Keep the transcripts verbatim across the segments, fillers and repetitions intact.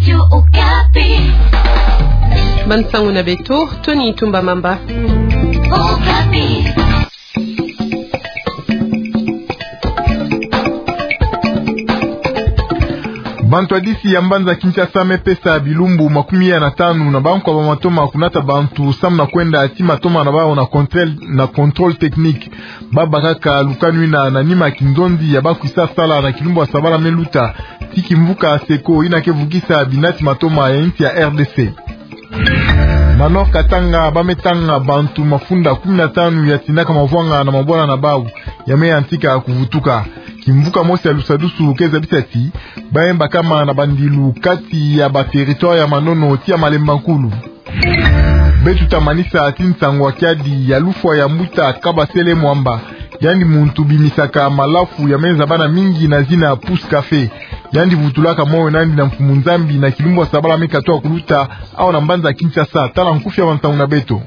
Radio Okapi. Bansango na beto, Tony Tumba Mamba. Okapi. Bantu ya disi ya mbanza Kinshasa me pesa bilumbu makumi ya na tanu na bankwa ba matoma kunata bantu samu na kwenda tia matoma na bawu na contrôle, na contrôle technique. Ba bakaka lukanu yina na nima ya kinzonzi ya ba kwisa sala na kilumbu ya sabala me luta, ti kimvuka Seko yina ke vukisa binati matoma ya insi ya R D C. Na Nord Katanga, ba me tanga bantu mafunda kumi na tanu ya tinaka mavwanga na mabwala na bawu, ya me yantika kuvutuka. Kimvuka mosi ya lusadusu ke zabisa ti ba me bakama na bandilu kati ya ba territoire ya Manono tia Malemba Nkulu. Beto ta manisa ti nsangu ya kiadi ya lufwa ya mbuta Kabasele Mwamba. Yandi muntu bimisaka malafu ya me zabana mingi na zina Pousse Café. Yandi vutulaka moyo nandi na Mfumu Nzambi na kilumbu ya sabala me katuka kuluta, awa na mbanza Kinshasa. Tala nkufi ya bansangu na beto.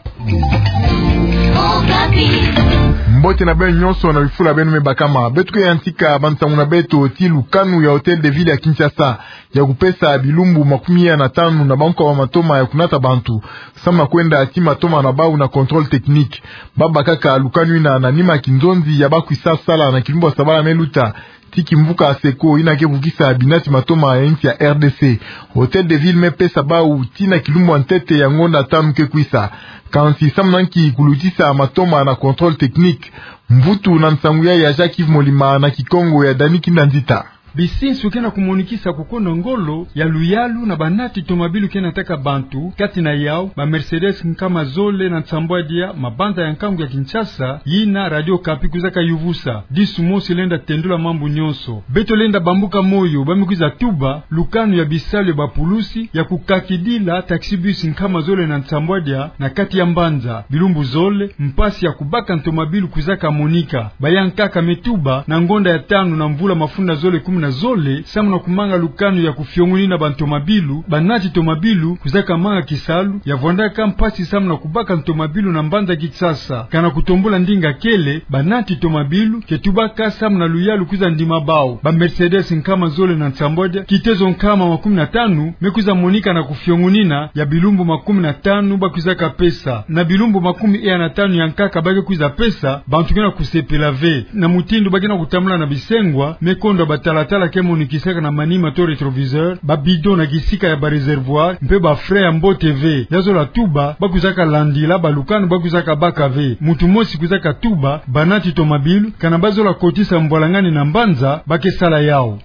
Mbote na beno nyonso na bifula beno me bakama. Beto ke yantika bansangu na beto ti lukanu ya Hôtel de Ville ya Kinshasa ya kupesa bilumbu makumi ya na tanu na bankwa ba matoma ya kunata bantu samu na kwenda tia matoma na bawu na contrôle technique. Ba bakaka lukanu yina na nima ya kinzonzi ya ba kwisa sala na kilumbu ya sabala me luta, ti kimvuka Seko yina ke vukisa binati matoma ya insi ya R D C. Hôtel de Ville me pesa bawu ti na kilumbu ya ntete ya ngonda tanu ke kwisa. Kansi samu na nki kulutisa matoma na contrôle technique? Mvutu na nsangu ya ya Jacques Yves Molima na Kikongo ya Dani Kinda Nzita. Bisinsu ke na kumonikisa kukonda ngolo ya luyalu na banati tomabilu ke nataka bantu, kati na yawu ba Mercedes nkama zole na nsambwadia, mabanza ya nkangu ya Kinshasa, yina Radio Okapi kwizaka yuvusa. Disu mosi lenda tendula mambu nyonso. Beto lenda bambuka moyo ba me kwiza tuba lukanu ya bisalu ya bapulusi ya kukakidila taxi-bus nkama zole na nsambwadia na kati ya mbanza. Bilumbu zole, mpasi ya kubaka ntomabilu kwizaka monika. Baya nkaka me tuba na ngonda ya tanu na mvula mafunda zole kumi na zole, samu na kumanga lukanu ya kufiongonina bantomabilu, banati tomabilu kwizaka manga kisalu ya vwandaka mpasi samu na kubaka ntomabilu na mbanza Kinshasa. Kana kutombula ndinga kele, banati tomabilu ke tubaka samu na luyalu kwiza ndima bawu. Ba Mercedes nkama zole na nsambwadia, kitezo nkama makumi na tanu, me kwiza monika na kufiongonina ya bilumbu makumi na tanu ba kwizaka pesa. Na bilumbu makumi ya na tanu ya nkaka ba ke kwiza pesa, bantu ke na kusepela ve. Na mutindu ba ke na kutambula na bisengwa, me kondwa batalatala ke monikisaka na manima to rétroviseur, ba bidon na kisika ya ba réservoir, mpe ba frein ya mbote ve. Ya zola tuba, ba kwizaka landila balukanu ba kwizaka baka ve. Muntu mosi kwizaka tuba banati tomabilu, kana ba zola kotisa mbwalangani na mbanza, ba ke sala yawu.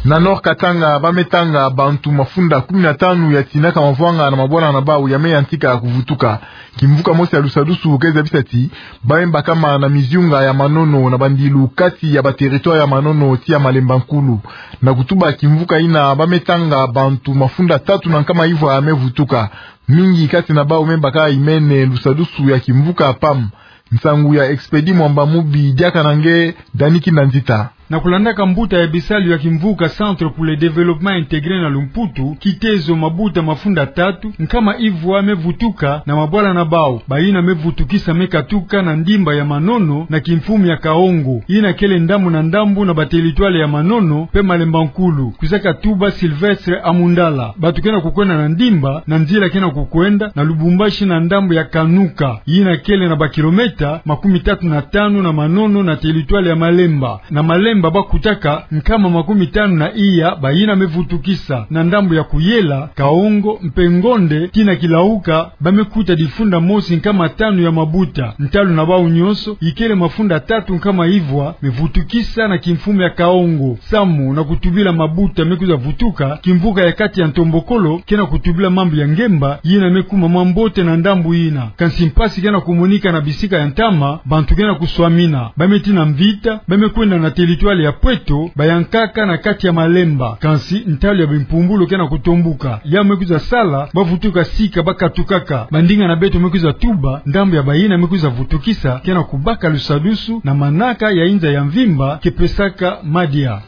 Na Nord Katanga, ba me tanga bantu mafunda kumi na tanu ya tinaka mavwanga na mabwala na bawu ya me yantika kuvutuka. Kimvuka mosi ya lusadusu ke zabisa ti ba me bakama na miziunga ya Manono na bandilu kati ya ba territoire ya Manono tia Malemba Nkulu. Na kutuba kimvuka yina, ba me tanga bantu mafunda tatu na nkama ivwa ya me vutuka. Mingi kati na bawu me baka imene lusadusu ya kimvuka PAM. Nsangu ya Expédit Mwamba Mubi, diaka na nge Dani Kinda Nzita. Na kulandaka mbuta ya bisalu ya kimvuka Centre pour le Développement Intégré na lumputu, kitezo mabuta mafunda tatu nkama ivwa me vutuka na mabwala na bawu. Bayina me vutukisa me katuka na ndimba ya Manono na kimfumu ya Kaongo, yina kele ndambu na ndambu na ba territoire ya Manono mpe Malemba Nkulu. Kwizaka tuba Sylvestre Amundala. Bantu ke na kukwenda na ndimba na nzila ke na kukwenda na Lubumbashi na ndambu ya Kanuka, yina kele na ba kilomètre makumi tatu na tanu na Manono na territoire ya Malemba. Na Malemba ba kutaka nkama makumi tanu na iya bayina me vutukisa. Na ndambu ya Kuyela, Kaongo mpe Ngonde tii na Kilauka, ba me kuta difunda mosi nkama tanu ya mabuta. Ntalu na bawu nyonso, ikele mafunda tatu nkama ivwa me vutukisa na kimfumu ya Kaongo. Samu na kutubila mabuta me kwiza vutuka, kimvuka ya kati ya ntombokolo ke na kutubila mambu ya ngemba, yina me kuma mwa mbote na ndambu yina. Kansi mpasi ke na kumonika na bisika ya ntama, bantu ke na kuswamina. Ba me tii na mvita, ba me kwenda na territoire ya Pweto, baya nkaka na kati ya Malemba. Kansi ntalu ya bimpumbulu ke na kutombuka. Yawu me kwiza sala ba vutuka sika ba katukaka. Bandinga na beto me kwiza tuba, ndambu ya bayina me kwiza vutukisa ke na kubaka lusadusu na manaka ya inza ya mvimba ke pesaka madia.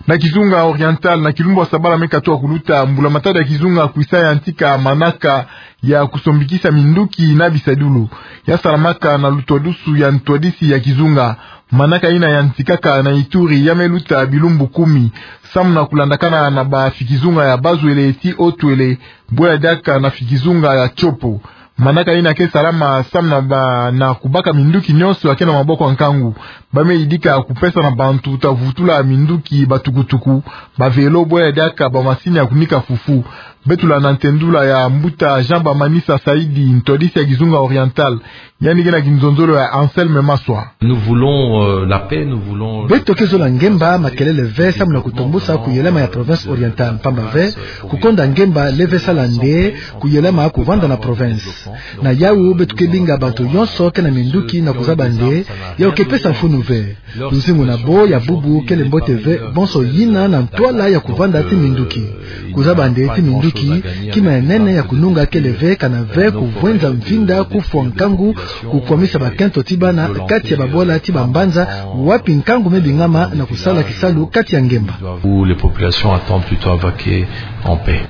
Na kizunga Oriental, na kilumbu ya sabala me katuka kuluta, mbula matadi ya kizunga kwisa yantika manaka ya kusombikisa minduki na bisadulu. Ya salamaka na lutwadusu ya ntwadisi ya kizunga. Manaka ina yantikaka na Ituri ya me luta bilumbu kumi, samu na kulandakana na bafikizunga ya bazwele ti otwele, bwe ya diaka na fikizunga ya Tshopo. Manaka ina ke salama samu na ba, na kubaka minduki nyonso ya ke na maboko ya nkangu. Ba me yidika kupesa na bantu ta vutula minduki batukutuku, ba vélo, bwe ya diaka bamasini ya kunika fufu. Beto landa ntendula ya mbuta Jean Bamanisa Saidi, ntwadisi ya kizunga Oriental. Yandi ke na kinzonzolo ya Anselme Maswa. Nous voulons, euh, la paix, nous voulons, euh, Beto ke zola ngemba, makelele ve, samu na kutombusa kuyelama ya province Orientale, mpamba ve kukonda ngemba leve sala nde kuyelama kuvanda na province. Na yawu beto ke binga bantu yonso ke na minduki na kuzaba nde yawu ke pesa mfunu ve. Luzingu na bo ya bubu kele mbote ve, bonso yina na ntwala ya kuvanda ti minduki. Kuzaba nde ti minduki, kima ya nene ya kununga kele ve, kana ve kuvwenza mvinda, kufwa nkangu, kukwamisa bakento ti bana kati ya babwala ti bambanza, wapi nkangu me bingama na kusala kisalu kati ya ngemba. Où les populations attendent plutôt à vaquer en paix.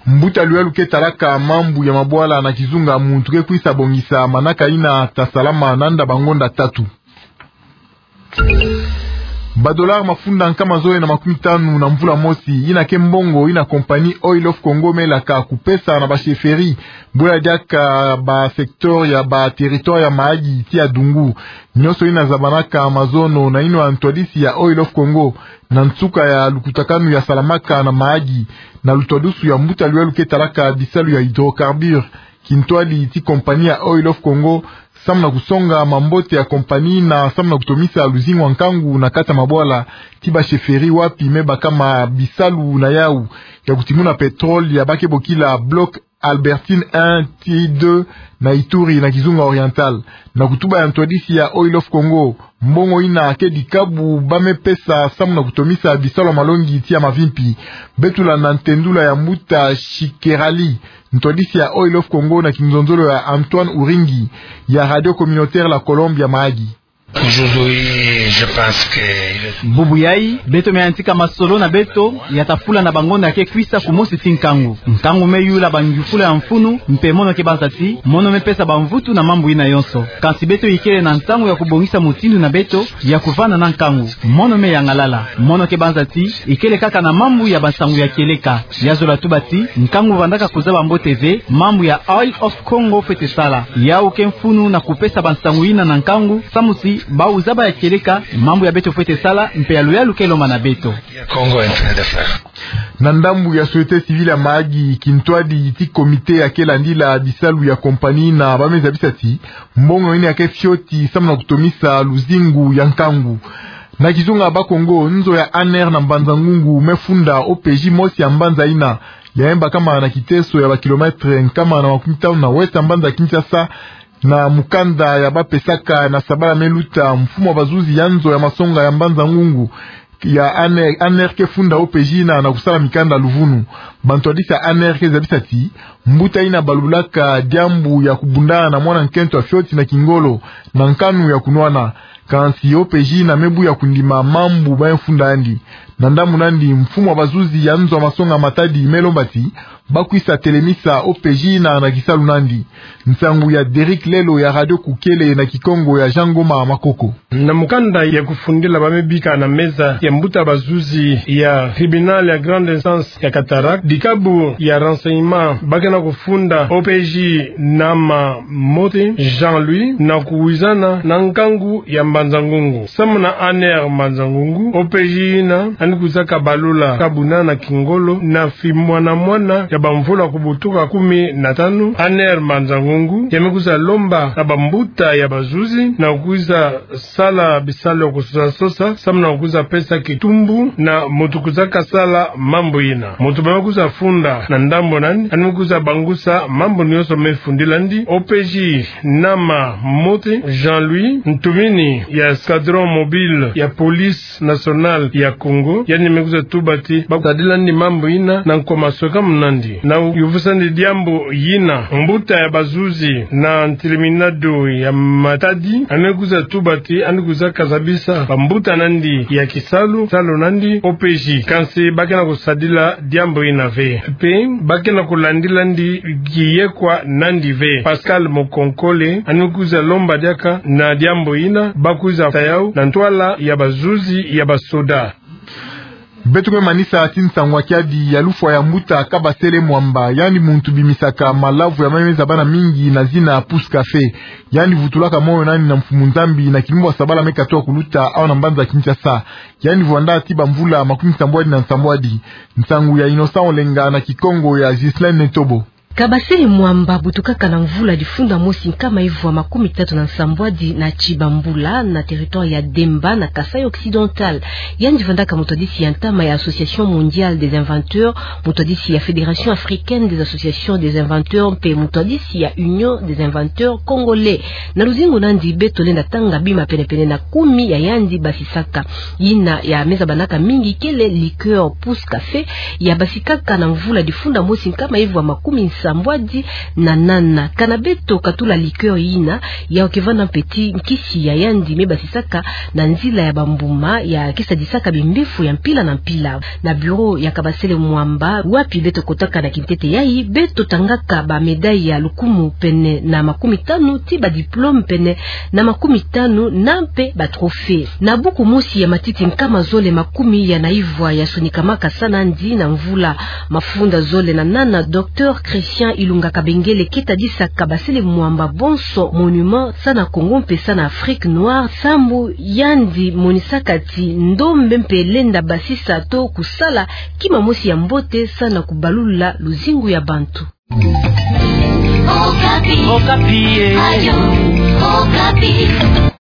Mbuta luyalu ke talaka mambu ya mabwala na kizunga, muntu ke kwisa bongisa manaka ina ta salama nanda bangonda tatu. Ba dollars mafunda nkama zole na makumi tanu na mvula mosi, ina ke mbongo ina compagnie Oil of Congo me laka kupesa na ba chefferies, bwe ya diaka ba secteur ya ba territoire ya Mahagi ti ya Dungu. Nyonso ina zabanaka mazono na ino ya ntwadisi ya Oil of Congo, na nsuka ya lukutakanu ya salamaka na Mahagi, na lutwadusu ya mbuta luyalu ke talaka bisalu ya hydrocarbures, kintwadi ti compagnie ya Oil of Congo, samu na kusonga mambote ya compagnie na samu na kutomisa luzingu ya nkangu na kati ya mabwala ti ba chefferies wapi me bakama bisalu na yawu ya kutimuna pétrole ya ba ke bokila bloc Albertine un ti deux na Ituri na kizunga Oriental. Na kutuba ya ntwadisi ya Oil of Congo, mbongo ina ke dikabu ba me pesa samu na kutomisa bisalu ya malongi ti ya mavimpi. Beto landa ntendula ya mbuta Shikerali, ntwadisi ya Oil of Congo na kinzonzolo ya Antoine Uringi ya Radio Communautaire La Colombe ya Mahagi. Aujourd'hui, je pense que il est... Bubu yayi, beto me yantika masolo na beto ya ta fula na bangonda ya ke kwisa kumosi ti nkangu. Nkangu me yula bangiufula ya mfunu, mpe mono ke banza ti mono me pesa bamvutu na mambu ina yonso. Kansi beto ikele na ntangu ya kubongisa mutindu na beto ya kuvanda na nkangu. Mono me yangalala. Mono ke banza ti ikele kaka na mambu ya bansangu ya kieleka. Ya zola tuba ti nkangu vandaka kuzaba mbote ve mambu ya Oil of Congo fwete sala. Yawu ke mfunu na kupesa bansangu ina na nkangu, samu ti bawu zaba ya kieleka mambu ya beto fwete sala, mpe ya luyalu ke lomba na beto. Congo est en train de faire. Na ndambu ya société civile ya Mahagi, kintwadi ti comité ya ke landila bisalu ya compagnie ina ba me zabisa ti mbongo ina ya ke fioti samu na kutomisa luzingu ya nkangu. Na kizunga Bas-Congo, nzo ya ANR na Mbanza-Ngungu me funda O P J mosi ya mbanza ina, ya me bakama na kiteso ya ba kilomètres nkama na makumi tanu na ouest ya mbanza Kinshasa, na mukanda ya ba pesaka na sabala me luta, mfumu ya bazuzi ya nzo ya masonga ya Mbanza-Ngungu ya ANR, ANR ke funda O P J ina na kusala mikanda luvunu. Bantwadisi ya ANR ke zabisa ti mbuta ina balulaka diambu ya kubundana na mwana nkento ya fioti na kingolo na nkanu ya kunwana. Kansi O P J ina me buya kundima mambu ba me funda yandi. Na ndambu nandi, mfumu ya bazuzi ya nzo ya masonga Matadi me lomba ti ba kwisa telemisa O P J ina na kisalu nandi. Nsangu ya Derrick Lelo ya Radio Kukele na Kikongo ya Jean Ngoma Makoko. Na mukanda ya kufundila ba me bika na meza ya mbuta bazuzi ya tribunal ya grande instance ya Cataractes, dikabu ya renseignement ba ke na kufunda O P J Nama Mote Jean-Louis na kuwizana na nkangu ya Mbanza-Ngungu. Samu na ANR Mbanza-Ngungu, O P J ina yandi kwiza kabalula kabuna na kingolo na fimwana mwana ya bamvula kubutuka kumi na tanu. ANR Mbanza-Ngungu ya me kwiza lomba na bambuta ya bazuzi na kwiza sala bisalu ya kusosa-sosa, samu na kwiza pesa kitumbu na muntu kwiza kasala mambu ina. Muntu ba me kwiza funda na ndambu nani, yandi me kwiza bangusa mambu nyonso me fundila yandi. O P J Nama Mote Jean-Louis, ntumini ya escadron mobile ya police nationale ya Congo, yandi me kwiza tuba ti ba tadila yandi mambu ina na nkwa masweka munandi. Na yuvusandi diambu yina, mbuta ya bazuzi na ntilimina do ya Matadi, yandi kwiza tuba ti yandi kwiza kazabisa bambuta nandi ya kisalu, salu nandi, O P J. Kansi ba ke na kusadila diambu yina ve. Mpe ba ke na kulandila nandi kiyekwa nandi ve. Pascal Mokonkole, yandi kwiza lomba diaka na diambu yina, ba kwiza tayau na ntwala ya bazuzi ya basoda. Beto kwe manisa ti nsangu ya kiadi ya lufwa ya mbuta Kabasele Mwamba, yandi muntu bimisaka malavu ya meno me zabana mingi na zina Pouce Café. Yandi vutulaka moyo nandi na Mfumu Nzambi na kilumbu ya sabala me katoa kuluta awa na mbanza Kinshasa. Yandi vwanda ti bamvula makumi sambwadi na nsambwadi. Nsangu ya Innocent Olenga na Kikongo ya Ghislaine Netobo. Kabasele Mwamba butukaka na mvula difunda mosi nkama ivwa makumi tatu na nsambwadi na tibambula na territoire ya Demba na Kasaï Occidental. Yandi vandaka mutwadisi ya ntama ya Association Mondiale des Inventeurs, mutwadisi ya Fédération Africaine des Associations des Inventeurs mpe mutwadisi ya Union des Inventeurs Congolais. Na luzingu nandi beto lenda tanga bima penepene na kumi ya yandi basisaka. Yina ya me zabanaka mingi kele liqueur Pouce Café, ya basikaka na mvula difunda mosi nkama ivwa makumi nsambwadi na nana. Kana beto katula liqueur yina, ya ke vanda mpe ti nkisi ya yandi me basisaka na nzila ya bambuma ya ke sadisaka bimbefu ya mpila na mpila. Na bureau ya Kabasele Mwamba, wapi beto kotaka na kintete yayi, beto tangaka ba médaille ya lukumu pene na makumi tanu ti ba diplôme pene na makumi tanu na mpe ba trophée. Na buku mosi ya matiti nkama zole makumi ya na ivwa ya sonikamaka sa nandi na mvula mafunda zole na nana, Docteur Christian Ilunga Kabengele ke tadisa Kabasele Mwamba bonso monument sa na Congo mpe sa na Afrique noire, sambu yandi monisaka ti ndombe mpe lenda basisa to kusala kima mosi ya mbote sa na kubalula luzingu ya bantu. Okapi. Okapi, eh. Radio Okapi.